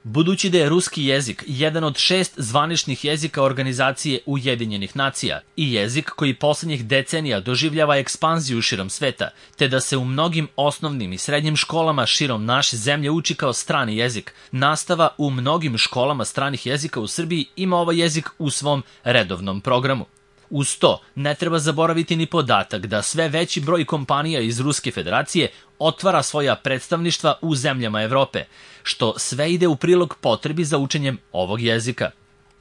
Budući da je ruski jezik jedan od 6 zvaničnih jezika Organizacije Ujedinjenih nacija i jezik koji poslednjih decenija doživljava ekspanziju širom sveta, te da se u mnogim osnovnim i srednjim školama širom naše zemlje uči kao strani jezik, nastava u mnogim školama stranih jezika u Srbiji ima ovaj jezik u svom redovnom programu. Uz to, ne treba zaboraviti ni podatak da sve veći broj kompanija iz Ruske federacije otvara svoja predstavništva u zemljama Evrope, što sve ide u prilog potrebi za učenjem ovog jezika.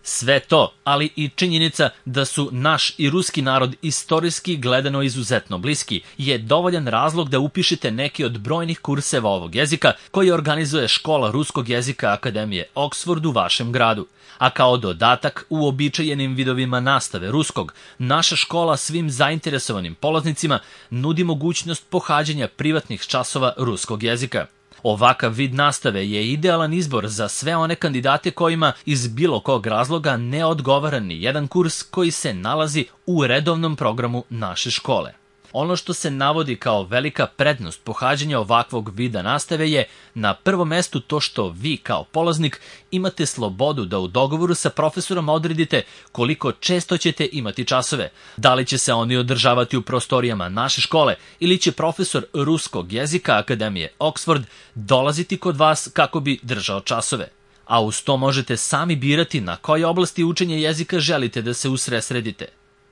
Sve to, ali i činjenica da su naš i ruski narod istorijski gledano izuzetno bliski, je dovoljan razlog da upišete neki od brojnih kurseva ovog jezika koji organizuje Škola ruskog jezika Akademije Oxford u vašem gradu. A kao dodatak uobičajenim vidovima nastave ruskog, naša škola svim zainteresovanim polaznicima nudi mogućnost pohađanja privatnih časova ruskog jezika. Ovakav vid nastave je idealan izbor za sve one kandidate kojima iz bilo kog razloga ne odgovara ni jedan kurs koji se nalazi u redovnom programu naše škole. Ono što se navodi kao velika prednost pohađanja ovakvog vida nastave je na prvom mestu to što vi kao polaznik imate slobodu da u dogovoru sa profesorom odredite koliko često ćete imati časove, da li će se oni održavati u prostorijama naše škole ili će profesor ruskog jezika Akademije Oxford dolaziti kod vas kako bi držao časove. A uz to možete sami birati na koje oblasti učenja jezika želite da se usredsredite.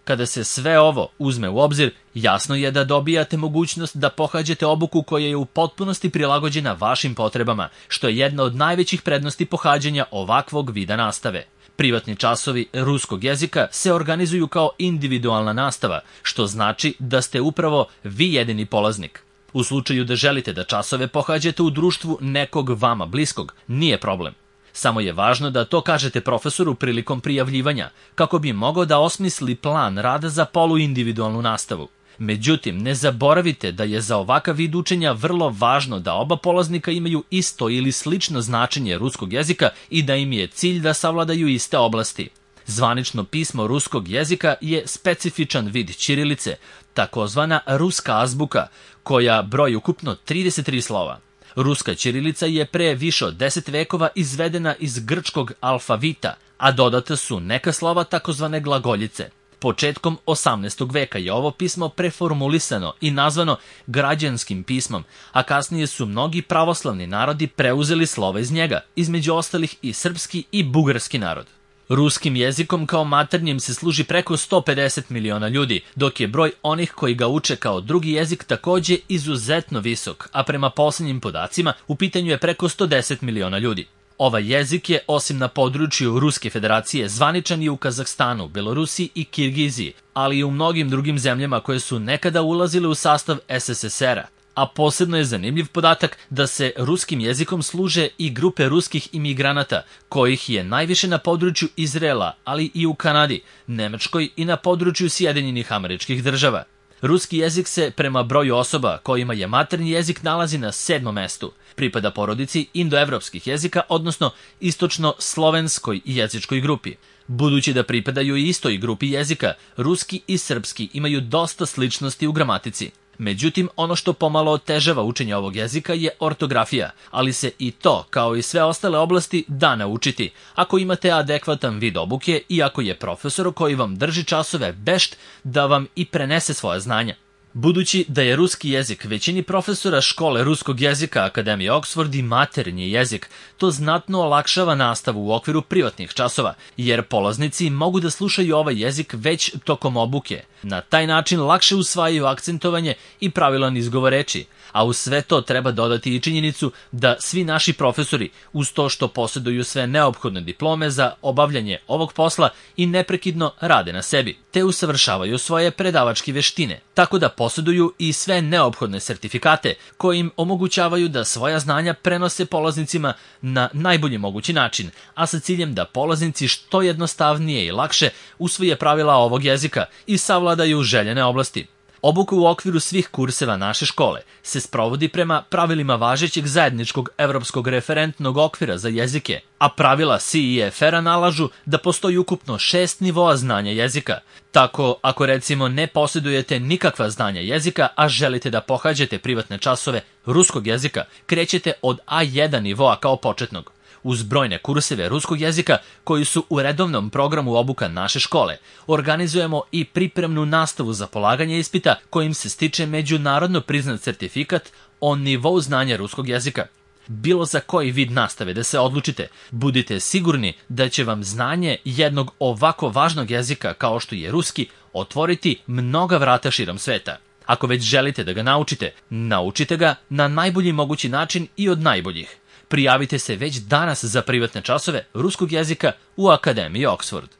Kada se sve ovo uzme u obzir, jasno je da dobijate mogućnost da pohađate obuku koja je u potpunosti prilagođena vašim potrebama, što je jedna od najvećih prednosti pohađanja ovakvog vida nastave. Privatni časovi ruskog jezika se organizuju kao individualna nastava, što znači da ste upravo vi jedini polaznik. U slučaju da želite da časove pohađate u društvu nekog vama bliskog, nije problem. Samo je važno da to kažete profesoru prilikom prijavljivanja, kako bi mogao da osmisli plan rada za poluindividualnu nastavu. Međutim, ne zaboravite da je za ovakav vid učenja vrlo važno da oba polaznika imaju isto ili slično značenje ruskog jezika i da im je cilj da savladaju iste oblasti. Zvanično pismo ruskog jezika je specifičan vid ćirilice, takozvana ruska azbuka, koja broji ukupno 33 slova. Ruska ćirilica je pre više od 10 vekova izvedena iz grčkog alfavita, a dodata su neka slova takozvane glagoljice. Početkom 18. veka je ovo pismo preformulisano i nazvano građanskim pismom, a kasnije su mnogi pravoslavni narodi preuzeli slova iz njega, između ostalih i srpski i bugarski narod. Ruskim jezikom kao maternjim se služi preko 150 miliona ljudi, dok je broj onih koji ga uče kao drugi jezik takođe izuzetno visok, a prema poslednjim podacima u pitanju je preko 110 miliona ljudi. Ovaj jezik je, osim na području Ruske federacije, zvaničan i u Kazahstanu, Belorusiji i Kirgiziji, ali i u mnogim drugim zemljama koje su nekada ulazile u sastav SSSR-a. A posebno je zanimljiv podatak da se ruskim jezikom služe i grupe ruskih imigranata, kojih je najviše na području Izraela, ali i u Kanadi, Nemačkoj i na području Sjedinjenih Američkih Država. Ruski jezik se prema broju osoba kojima je maternji jezik nalazi na 7. mestu. Pripada porodici indoevropskih jezika, odnosno istočno-slovenskoj jezičkoj grupi. Budući da pripadaju istoj grupi jezika, ruski i srpski imaju dosta sličnosti u gramatici. Međutim, ono što pomalo otežava učenje ovog jezika je ortografija, ali se i to, kao i sve ostale oblasti, da naučiti, ako imate adekvatan vid obuke i ako je profesor koji vam drži časove vešt da vam i prenese svoja znanja. Budući da je ruski jezik većini profesora škole ruskog jezika Akademije Oxford i maternji jezik, to znatno olakšava nastavu u okviru privatnih časova, jer polaznici mogu da slušaju ovaj jezik već tokom obuke. Na taj način lakše usvajaju akcentovanje i pravilan izgovor reči, a uz sve to treba dodati i činjenicu da svi naši profesori, uz to što posjeduju sve neophodne diplome za obavljanje ovog posla, i neprekidno rade na sebi, te usavršavaju svoje predavačke veštine, tako da posjeduju i sve neophodne sertifikate koji im omogućavaju da svoja znanja prenose polaznicima na najbolji mogući način, a sa ciljem da polaznici što jednostavnije i lakše usvoje pravila ovog jezika i savladaju željene oblasti. Obuka u okviru svih kurseva naše škole se sprovodi prema pravilima važećeg zajedničkog evropskog referentnog okvira za jezike, a pravila CEFR-a nalažu da postoji ukupno 6 nivoa znanja jezika. Tako, ako recimo ne posjedujete nikakva znanja jezika, a želite da pohađate privatne časove ruskog jezika, krećete od A1 nivoa kao početnog. Uz brojne kurseve ruskog jezika koji su u redovnom programu obuka naše škole, organizujemo i pripremnu nastavu za polaganje ispita kojim se stiče međunarodno priznat certifikat o nivou znanja ruskog jezika. Bilo za koji vid nastave da se odlučite, budite sigurni da će vam znanje jednog ovako važnog jezika kao što je ruski otvoriti mnoga vrata širom sveta. Ako već želite da ga naučite, naučite ga na najbolji mogući način i od najboljih. Prijavite se već danas za privatne časove ruskog jezika u Akademiji Oxford.